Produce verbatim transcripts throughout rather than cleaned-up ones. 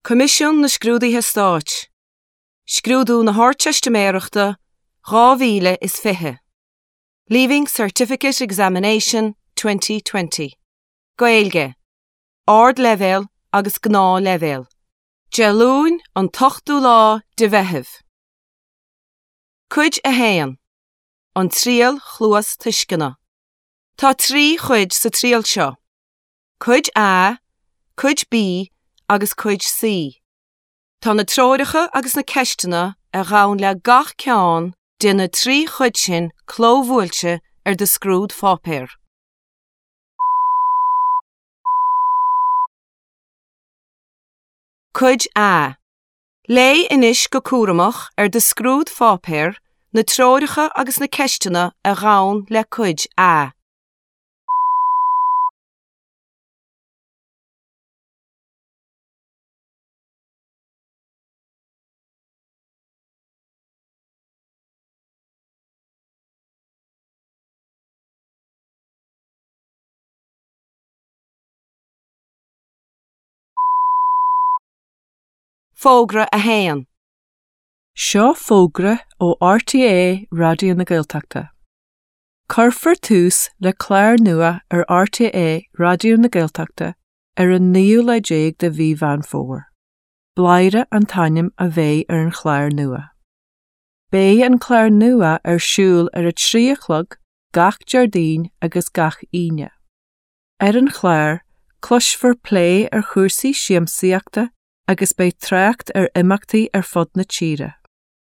Coimisiún na Scrúduithe Stáit. Scrúdú na hArdteistiméireachta dhá mhíle is fiche. Leaving Certificate Examination twenty twenty. Gaeilge. Ardleibhéal agus Gnáthleibhéal. Dé Luain an t-ochtú lá de Mheitheamh. Cuid a haon. An Triail Chluastuisceana. Tá trí chuid sa triail seo. Cuid A, Cuid B agus Cuid C. Tá na treoracha agus na ceisteanna a ghabhann le gach ceann de na trí chuid sin clóbhuailte ar do scrúdpháipéar. Cuid A. Léigh anois go cúramach ar do scrúdpháipéar na treoracha agus na ceisteanna a ghabhann le Cuid A. Fógra a haon. Seo fógra ó R T É Raidió na Gaeltachta. Cuirfear tús le clár nua ar R T É Raidió na Gaeltachta ar an naoú lá déag de mhí Mheán Fómhair. Bladhaire an t-ainm a bheidh ar an chlár nua. Beidh an clár nua ar siúl ar a trí a chlog gach Déardaoin agus gach Aoine. Ar an chlár, cloisfear plé ar chúrsaí siamsaíochta agus beidh trácht ar imeachtaí ar fud na tíre.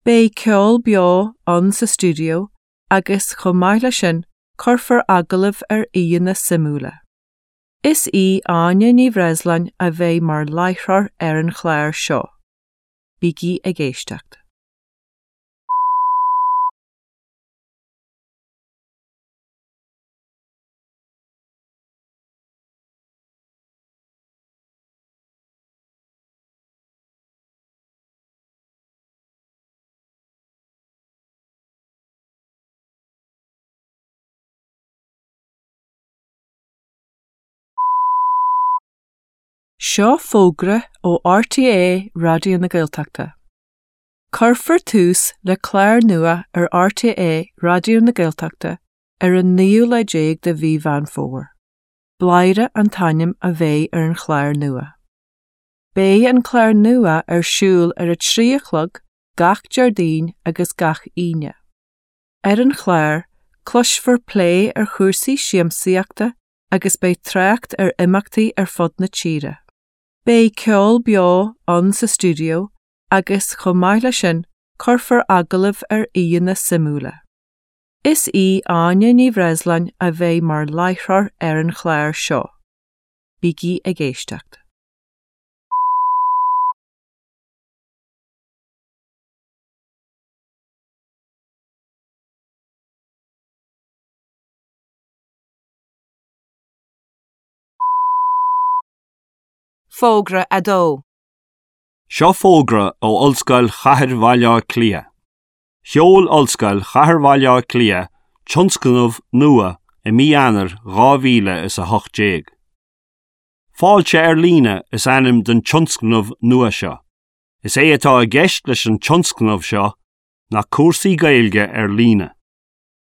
Beidh ceol beo ann sa stiúideo agus, chomh maith leis sin, cuirfear agallamh ar aíonna suimiúla. Is í Áine Ní Bhreisleáin a bheidh mar láithreoir ar an chlár seo. Bígí ag éisteacht. Seo fógra ó R T É Raidió na Gaeltachta. Cuirfear tús le clár nua ar R T É Raidió na Gaeltachta ar an naoú lá déag de mhí Mheán Fómhair. Bladhaire an t-ainm a bheidh ar an chlár nua. Beidh an clár nua ar siúl ar a trí a chlog gach Déardaoin agus gach Aoine. Ar an chlár, cloisfear plé ar chúrsaí siamsaíochta agus beidh trácht ar imeachtaí ar fud na tíre. Beidh ceol beo ann sa stiúideo agus, chomh maith leis sin, cuirfear agallamh ar aíonna suimiúla. Is í Áine Ní Bhreisleáin a bheidh mar láithreoir ar an chlár seo. Bígí ag éisteacht. Fógra a dó. Seo fógra ó Ollscoil Chathair Bhaile Átha Cliath. Sheol Ollscoil Chathair Bhaile Átha Cliath tionscnamh nua i mí Eanáir dhá mhíle is a hocht déag. Fáilte ar líne is ainm don tionscnamh nua seo. Is é atá i gceist leis an tionscnamh seo ná cúrsaí Gaeilge ar líne.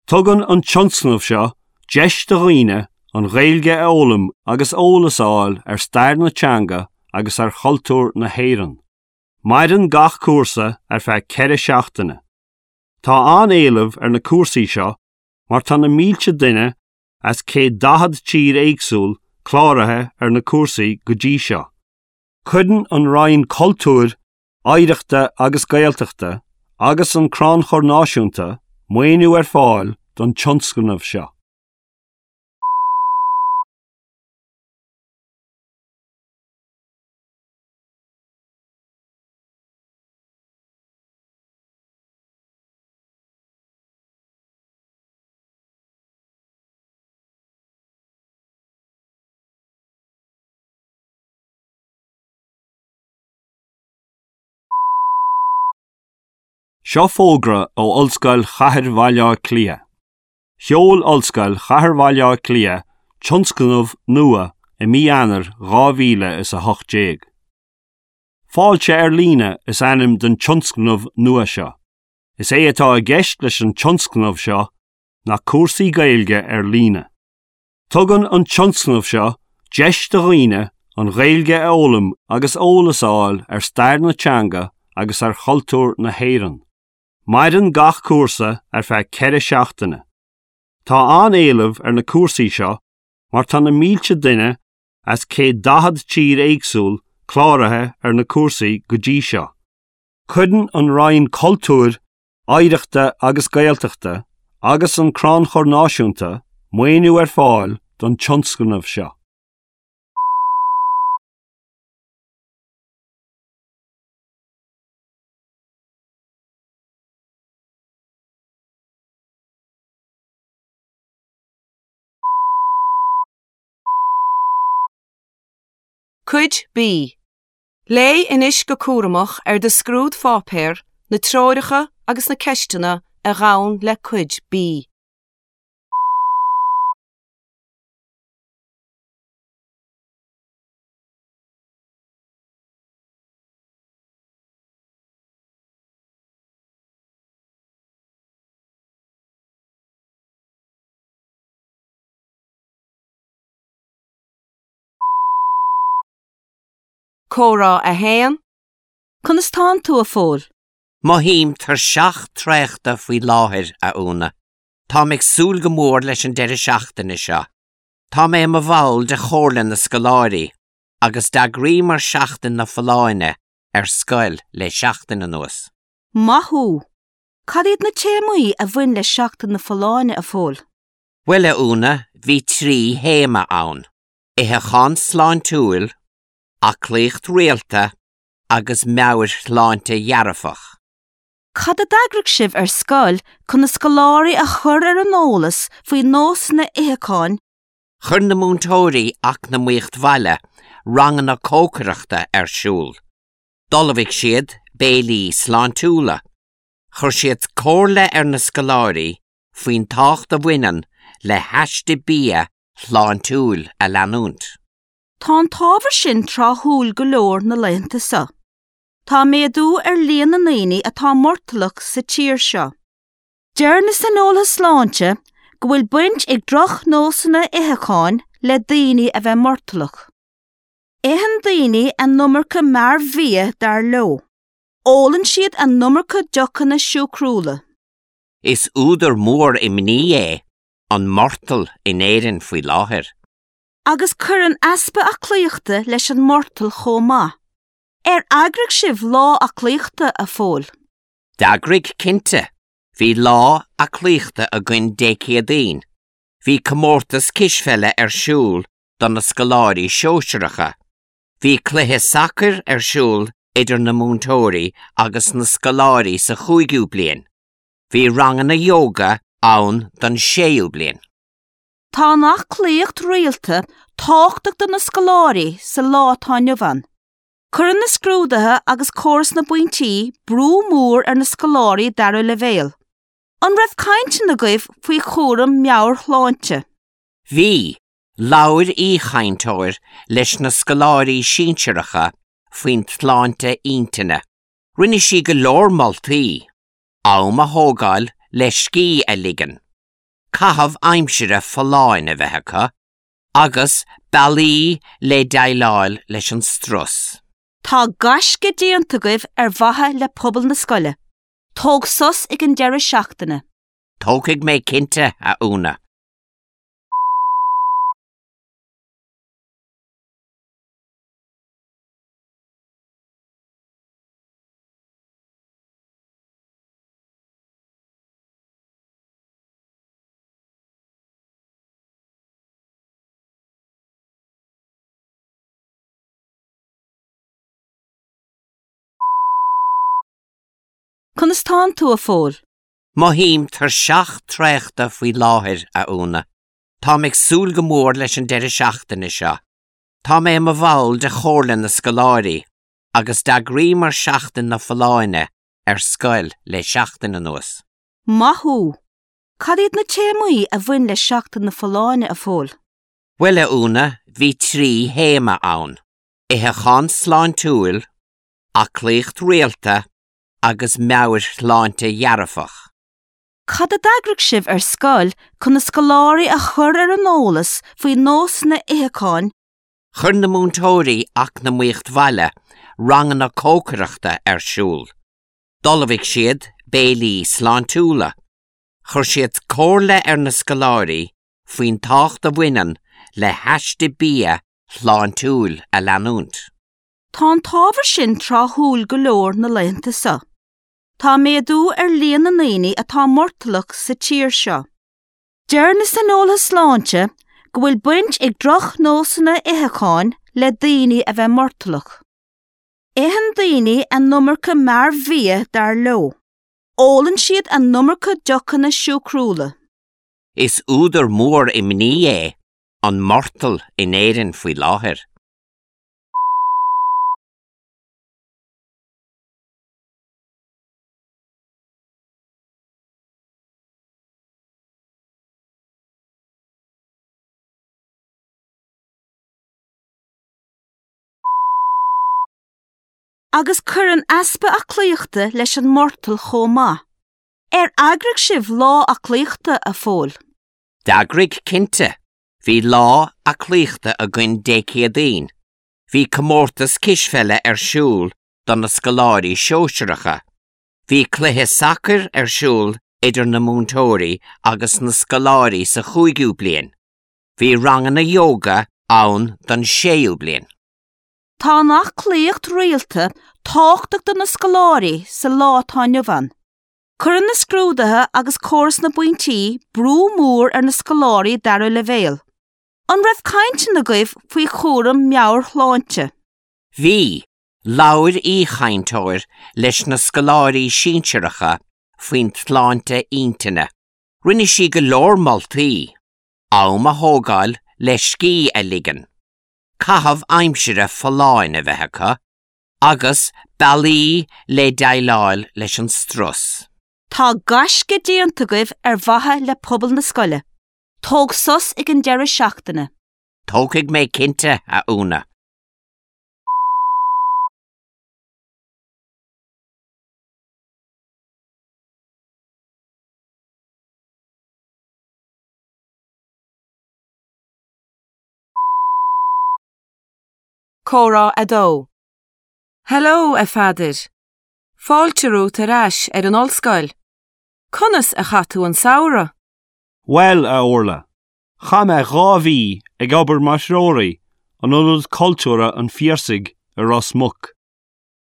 Tugann an tionscnamh seo deis do dhaoine an Ghaeilge a fhoghlaim agus eolas a fháil ar stair na teanga agus ar chultúr na hÉireann. Maireann gach cúrsa ar feadh ceithre seachtaine. Tá an-éileamh ar na cúrsaí seo mar tá na mílte duine as céad daichead tír éagsúil cláraithe ar na cúrsaí go dtí seo. Cuireann an Roinn Cultúir, Oidhreachta agus Gaeltachta agus an Crannchur Náisiúnta maoiniú ar fáil don tionscnamh seo. Seo fógra ó Ollscoil Chathair Bhaile Átha Cliath. Sheol Ollscoil Chathair Bhaile Átha Cliath tionscnamh nua i mí Eanáir dhá mhíle is a hocht déag. Fáilte ar líne is ainm don tionscnamh nua seo. Is é atá i gceist leis an tionscnamh seo ná cúrsaí Gaeilge ar líne. Tugann an tionscnamh seo deis do dhaoine an Ghaeilge a fhoghlaim agus eolas a fháil ar stair na teanga agus ar chultúr na hÉireann. Maireann gach cúrsa ar feadh ceithre seachtaine. Tá an-éileamh ar na cúrsaí seo mar tá na mílte duine as céad daichead tír éagsúil cláraithe ar na cúrsaí go dtí seo. Cuireann an Roinn Cultúir, Oidhreachta agus Gaeltachta agus an Crannchur Náisiúnta maoiniú ar fáil don tionscnamh seo. Cuid B. Léigh anois go cúramach ar do scrúdpháipéar na treoracha agus na ceisteanna a ghabhann le Cuid B. Comhrá a haon. Conas tánn tú a Phóil? Mothaím tuirseach traochta faoi láthair a Úna. Táim ag súil go mór leis an deireadh seachtaine seo. Tá mé i mo bhall de Chomhairle na Scoláirí, agus d'eagraíomar Seachtain na Folláine ar scoil le seachtain anuas. Maith thú. Cad iad na téamaí a bhain le Seachtain na Folláine a Phóil? Bhuel a Úna, bhí trí théama ann. Itheachán sláintiúil, aclaíocht rialta agus meabhairshláinte dhearfach. Cad a d'eagraigh sibh ar scoil chun na scoláirí a chur ar an eolas faoi nósanna itheacháin? Chuir na múinteoirí eacnamaíocht bhaile ranganna cócaireachta ar siúl. D'ullmhaigh siad béilí sláintiúla. Chuir siad comhairle ar na scoláirí faoin tábhacht a bhaineann le haiste bia shláintiúil a leanúint. Tá an t-ábhar sin tráthúil go leor na laethanta seo. Tá méadú ar líon na ndaoine atá murtallach sa tír seo. Deir na saineolaithe sláinte go bhfuil baint ag drochnósanna itheacháin le daoine a bheith murtallach. Itheann daoine an iomarca mearbhia dar leo. Ólann siad an iomarca deochanna siúcrúla. Is údar mór imní é an murtall in Éirinn faoi láthair. Agus cuireann easpa aclaíochta leis an murtall chomh maith. Ar eagraigh sibh lá aclaíochta a Phóil? D'eagraigh cinnte, bhí lá aclaíochta againn Dé Céadaoin. Bhí comórtas cispheile ar siúl do na scoláirí sóisearacha. Bhí cluiche sacair ar siúl idir na múinteoirí agus na scoláirí sa chúigiú bliain. Bhí ranganna yoga ann don séú bliain. Tá an aclaíocht rialta tábhachtach do na scoláirí sa lá atá inniu ann. Cuireann na scrúduithe agus córas na bpointí brú mór ar na scoláirí dara leibhéal. An raibh cainteanna agaibh faoi chúram meabhairshláinte? Bhí labhair aoichainteoir leis na scoláirí sinsearacha faoin tsláinte intinne. Rinne sí go leor moltaí, am a thógáil le scíth a ligean. Caitheamh aimsire folláin a bheith acu, agus bealaí le déileáil leis an strus. Tá gaisce déanta agaibh ar mhaithe le pobal na scoile. Tóg sos ag an deireadh seachtaine. Tógfaidh mé cinnte a Úna. Conas tánn tú a Phóil? Mothaím tuirseach traochta faoi láthair a Úna. Táim ag súil go mór leis an deireadh seachtaine seo. Tá mé i mo bhall de Chomhairle na Scoláirí, agus d'eagraíomar Seachtain na Folláine ar scoil le seachtain anuas. Maith thú. Cad iad na téamaí a bhain le Seachtain na Folláine a Phóil? Bhuel a Úna, bhí trí théama ann. Itheachán sláintiúil, Aclaíocht rialta agus meabhairshláinte dhearfach. Cad a d'eagraigh sibh ar scoil chun na scoláirí a chur ar an eolas faoi nósanna itheacháin? Chuir na múinteoirí eacnamaíocht bhaile ranganna cócaireachta ar siúl. D'ullmhaigh siad béilí sláintiúla. Chuir siad comhairle ar na scoláirí faoin tábhacht a bhaineann le haiste bia shláintiúil a leanúint. Tá an t-ábhar sin tráthúil go leor na laethanta seo. Tá méadú ar líon na ndaoine atá murtallach sa tír seo. Deir na saineolaithe sláinte go bhfuil baint ag drochnósanna itheacháin le daoine a bheith murtallach. Itheann daoine an iomarca mearbhia dar leo. Ólann siad an iomarca deochanna siúcrúla. Is údar mór imní é an murtall in Éirinn faoi láthair. Agus cuireann easpa aclaíochta leis an murtall chomh maith. Ar eagraigh sibh lá aclaíochta a Phóil? D'eagraigh cinnte, bhí lá aclaíochta againn Dé Céadaoin. Bhí comórtas cispheile ar siúl do na scoláirí sóisearacha. Bhí cluiche sacair ar siúl idir na múinteoirí agus na scoláirí sa chúigiú bliain. Bhí ranganna yoga ann don séú bliain. Tá an aclaíocht rialta tábhachtach do na scoláirí sa lá atá inniu ann. Cuireann na scrúduithe agus córas na bpointí brú mór ar na scoláirí dara leibhéal. An raibh cainteanna agaibh faoi chúram meabhairshláinte? Bhí, labhair aoichainteoir leis na scoláirí sinsearacha faoin tsláinte intinne. Rinne sí go leor moltaí, am a thógáil le scíth a ligean. Caitheamh aimsire folláin a bheith acu, agus bealaí le déileáil leis an strus. Tá gaisce déanta agaibh ar mhaithe le pobal na scoile. Tóg sos ag an deireadh seachtaine. Tógfaidh mé cinnte, a Úna. Comhrá a dó. Hello, a Pheadair. Fáilte romhat ar ais ar an ollscoil. Conas a chaith tú an samhradh? Bhuel, a Orla, Chaith mé dhá mhí ag obair mar threoraí in Ionad Cultúrtha an Phiarsaigh i Ros Muc.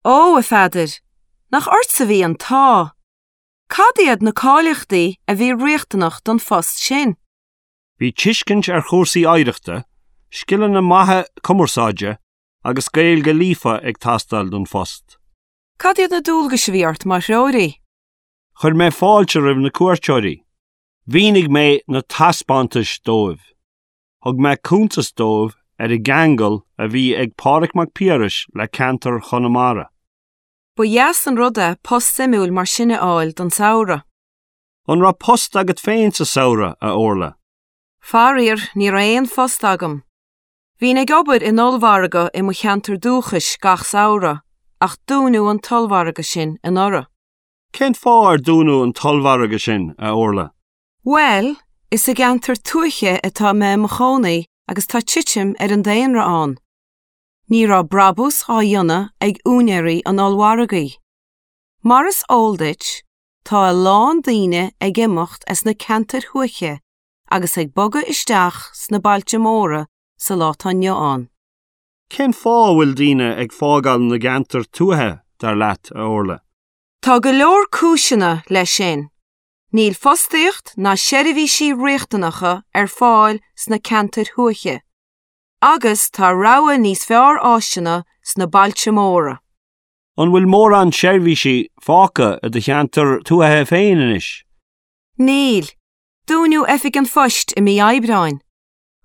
Ó, a Pheadair, nach ortsa a bhí an t-ádh. Cad iad na cáilíochtaí a bhí riachtanach don phost sin? Bhí tuiscint ar chúrsaí oidhreachta, scileanna maithe cumarsáide agus Gaeilge líofa ag teastáil don phost. Cad iad na dualgais a bhí ort mar threoraí? Chuir mé fáilte roimh na cuairteoirí. Mhínigh mé na taispeántais dóibh. Thug mé cuntas dóibh ar an gceangal a bhí ag Pádraig Mac Piarais le ceantar Chonamara. Ba dheas an rud é post suimiúil mar sin a fháil don samhradh. An raibh post agat féin sa samhradh, a Orla? Faraor, ní raibh aon phost agam. Bhínn ag obair in ollmhargadh i mo cheantar dúchais gach samhradh, ach dúnadh an t-ollmhargadh sin anuraidh. Cén fáth ar dúnadh an t-ollmhargadh sin, a Orla? Bhuel, is i gceantar tuaithe atá mé i mo chónaí agus tá titim ar an daonra ann. Ní raibh brabús á dhéanamh ag úinéirí an ollmhargaidh. Mar is eol duit, tá a lán daoine ag imeacht as na ceantair thuaithe agus ag bogadh isteach sna bailte móra sa lá atá inniu ann. Cén fáth a bhfuil daoine ag fágáil na gceantar tuaithe dar leat, a Orla? Tá go leor cúiseanna leis sin. Níl fostaíocht ná seirbhísí riachtanacha ar fáil sna ceantair thuaithe. Agus tá rogha níos fearr áiseanna sna bailte móra. An bhfuil mórán seirbhísí fágtha i do cheantar tuaithe féin anois? Níl. Dúnadh oifig an phoist i mí Aibreáin.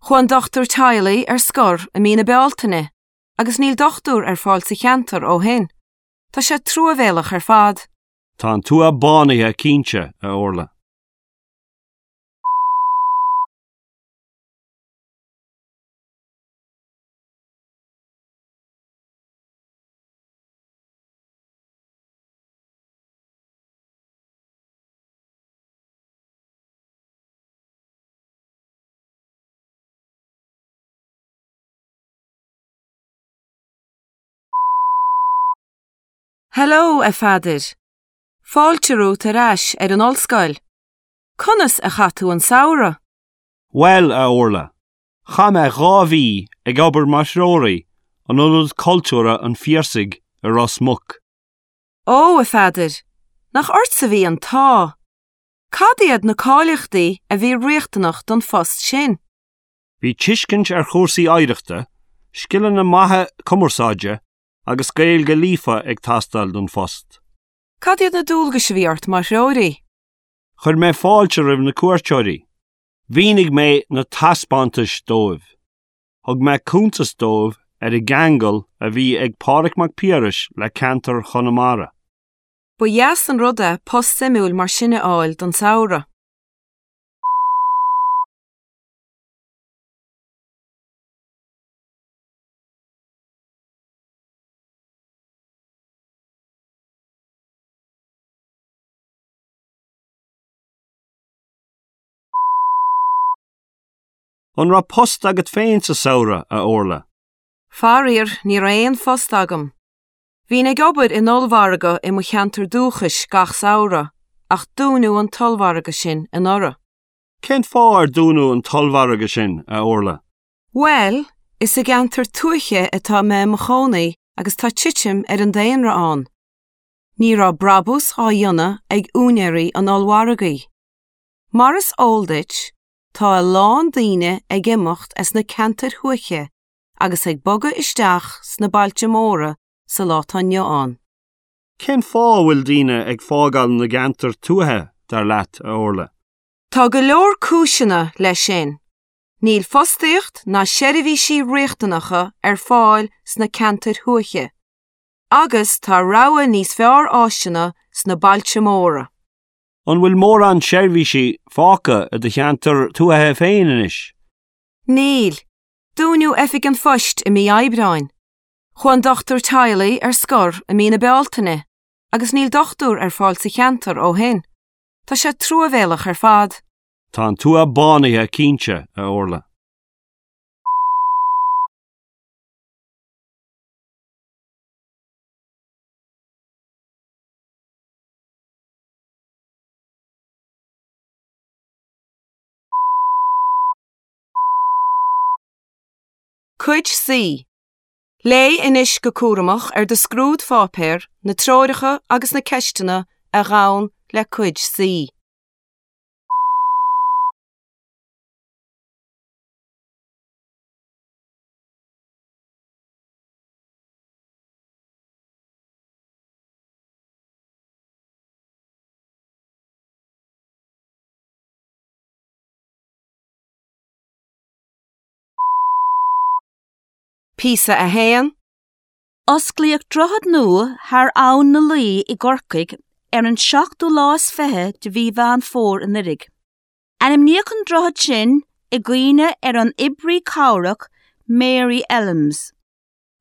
Chuaigh an dochtúir teaghlaigh ar scor i mí na Bealtaine, agus níl dochtúir ar fáil sa cheantar ó shin. Tá sé truamhéalach ar fad. Tá an tuath bánaithe cinnte, a Orla. Hello, a Pheadair. Fáilte romhat ar ais ar an ollscoil. Conas a chaith tú an samhradh? Bhuel, a Orla, chaith mé dhá mhí ag obair mar threoraí in Ionad Cultúrtha an Phiarsaigh i Ros Muc. Ó, a Pheadair, nach ortsa a bhí an t-ádh. Cad iad na cáilíochtaí a bhí riachtanach don phost sin? Bhí tuiscint ar chúrsaí oidhreachta, scileanna maithe cumarsáide agus Gaeilge líofa ag teastáil don phost. Cad iad na dualgais a bhí ort mar threoraí? Chuir mé fáilte roimh na cuairteoirí. Mhínigh mé na taispeántais dóibh. Thug mé cuntas dóibh ar an gceangal a bhí ag Pádraig Mac Piarais le ceantar Chonamara. Ba dheas an rud é post suimiúil mar sin a fháil don samhradh. An raibh post agat féin sa samhradh, a Orla? Faraor, ní raibh aon phost agam. Bhínn ag obair in ollmhargadh i mo cheantar dúchais gach samhradh, ach dúnadh an t-ollmhargadh sin anuraidh. Cén fáth ar dúnadh an t-ollmhargadh sin, a Orla? Bhuel, is i gceantar tuaithe atá mé i mo chónaí agus tá titim ar an daonra ann. Ní raibh brabús á dhéanamh ag úinéirí an ollmhargaidh. Mar is eol duit, tá a lán daoine ag imeacht as na ceantair thuaithe agus ag bogadh isteach sna bailte móra sa lá atá inniu ann. Cén fáth a bhfuil daoine ag fágáil na gceantar tuaithe, dar leat, a Orla? Tá go leor cúiseanna leis sin. Níl fostaíocht ná seirbhísí riachtanacha ar fáil sna ceantair thuaithe. Agus tá rogha níos fearr áiseanna sna bailte móra. An bhfuil mórán seirbhísí fágtha i do cheantar tuaithe féin anois? Níl. Dúnadh oifig an phoist i mí Aibreáin. Chuaigh an dochtúir teaghlaigh ar scor i mí na Bealtaine, agus níl dochtúir ar fáil sa cheantar ó shin. Tá sé truamhéalach ar fad. Tá an tuath bánaithe cinnte, a Orla. Cuid C. Léigh anois go cúramach ar do scrúdpháipéar na treoracha agus na ceisteanna a ghabhann le Cuid C. Píosa a haon. Osclaíodh droichead nua thar Abhainn na Laoi i gCorcaigh ar an seachtú lá is fiche de mhí Mheán Fómhair anuraidh. Ainmníodh an droichead sin i gcuimhne ar an oibrí cabhrach Mary Elmes.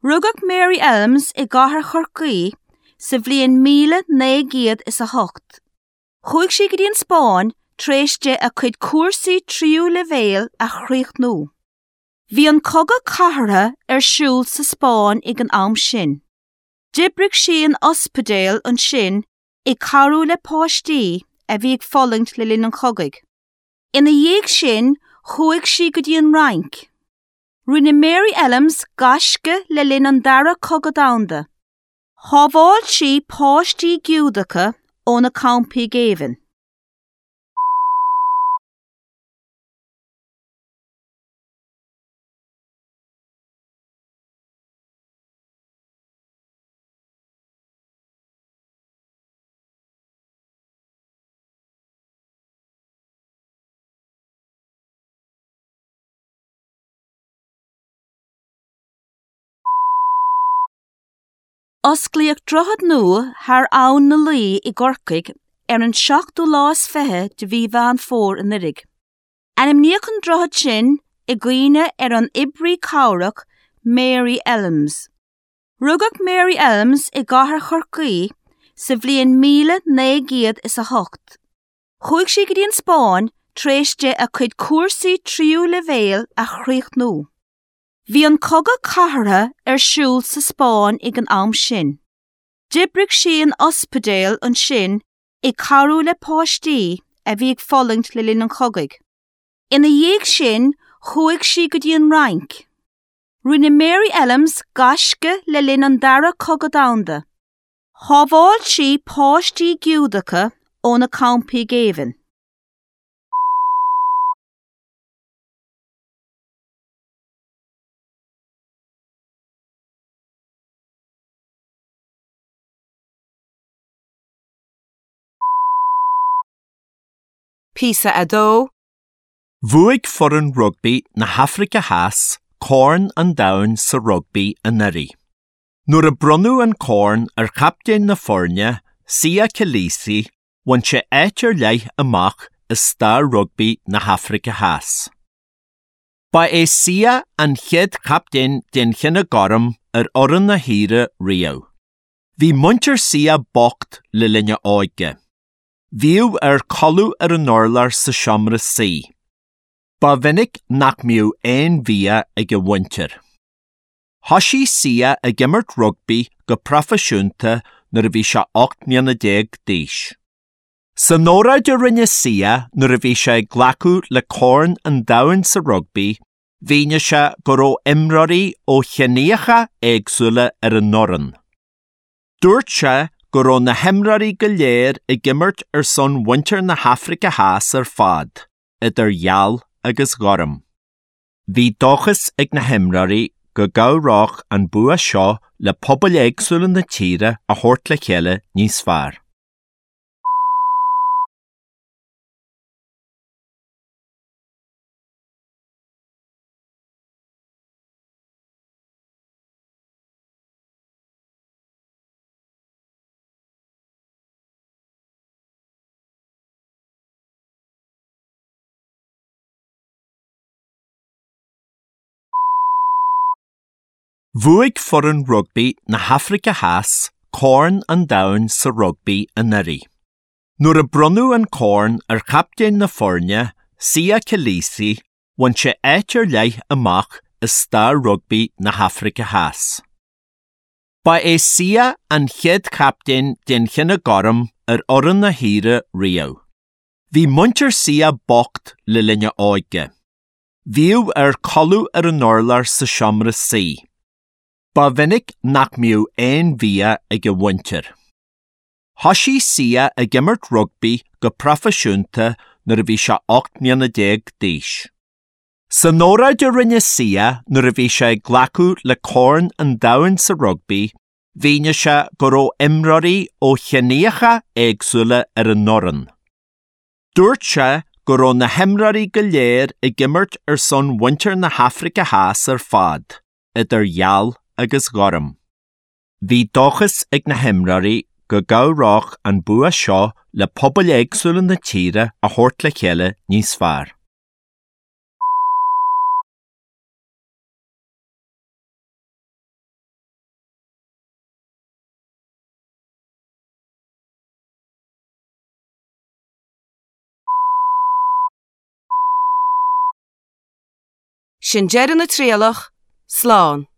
Rugadh Mary Elmes i gcathair Chorcaí sa bhliain míle naoi gcéad is a hocht. Chuaigh sí go dtí an Spáinn tar éis di a cuid cúrsaí tríú leibhéal a chríochnú. Bhí an Cogadh Cathartha ar siúl sa Spáinn ag an am sin. D'oibrigh sí in ospidéal ansin ag cabhrú le páistí a bhí ag fulaingt le linn an chogaidh. Ina dhiaidh sin, chuaigh sí go dtí an Fhrainc. Rinne Mary Elmes gaisce le linn an Dara Cogadh Domhanda. Shábháil sí páistí Giúdacha ó na campaí géibhinn. Osclaíodh droichead nua thar Abhainn na Laoi i gCorcaigh ar an seachtú lá is fiche de mhí Mheán Fómhair anuraidh. Ainmníodh an droichead sin i gcuimhne ar an oibrí cabhrach Mary Elmes. Rugadh Mary Elmes i gcathair Chorcaí sa bhliain míle naoi gcéad is a hocht. Chuaigh sí go dtí an Spáinn tar éis di a cuid cúrsaí tríú leibhéal a chríochnú. Bhí an Cogadh Cathartha ar siúl sa Spáinn ag an am sin. D'oibrigh sí in ospidéal ansin ag cabhrú le páistí a bhí ag fulaingt le linn an chogaidh. Ina dhiaidh sin chuaigh sí go dtí an Fhrainc. Rinne Mary Ellams gaisce le linn an dara cogadh domhanda. Shábháil sí páistí Giúdacha ó na campaí géibhinn. Píosa a dó, Bhuaigh foireann rugbaí na hAfraice Theas Corn an Domhain sa rugbaí anuraidh. Nuair a bronnadh an corn ar chaptaen na foirne, Siya Kolisi, bhain sé áit ar leith amach i stair rugbaí na hAfraice Theas. Ba é Siya an chéad chaptaen den chine gorm ar fhoireann na tíre riamh. Bhí muintir Siya bocht le linn a óige. Bhíodh air codladh ar an urlár sa seomra suí. Ba mhinic nach mbíodh aon bhia ag a mhuintir. Thosaigh Siya ag imirt rugbaí go proifisiúnta nuair a bhí sé ocht mbliana déag d'aois. San óráid a rinne Siya nuair a bhí sé ag glacadh le Corn an Domhain sa rugbaí, mhínigh sé go raibh imreoirí ó chiníocha éagsúla ar an bhfoireann. Dúirt sé go raibh na himreoirí go léir ag imirt ar son mhuintir na hAfraice Theas ar fad, idir gheal agus ghorm. Bhí dóchas ag na himreoirí go gcabhródh an bua seo le pobail éagsúla na tíre a thabhairt le chéile níos fearr. Bhuaigh foireann rugbaí na hAfraice Theas Corn an Domhain sa rugbaí anuraidh. Nuair a bronnadh an corn ar chaptaen na foirne, Siya Kolisi, bhain sé áit ar leith amach i stair rugbaí na hAfraice Theas. Ba é Siya an chéad chaptaen den chine gorm ar fhoireann na tíre riamh. Bhí muintir Siya bocht le linn a óige. Bhíodh air codladh ar an urlár sa seomra suí. Ba mhinic nach mbíodh aon bhia ag a mhuintir. Thosaigh Siya ag imirt rugbaí go proifisiúnta nuair a bhí sé ocht mbliana déag d'aois. San óráid a rinne Siya nuair a bhí sé ag glacadh le Corn an Domhain sa rugbaí, mhínigh sé go raibh imreoirí ó chiníocha éagsúla ar an bhfoireann. Dúirt sé go raibh na himreoirí go léir ag imirt ar son mhuintir na hAfraice Theas ar fad, idir gheal agus ghorm. Bhí dóchas ag na himreoirí go gcabhródh an bua seo le pobail éagsúla na tíre a thabhairt le chéile níos fearr. Sin deireadh na trialach, slán.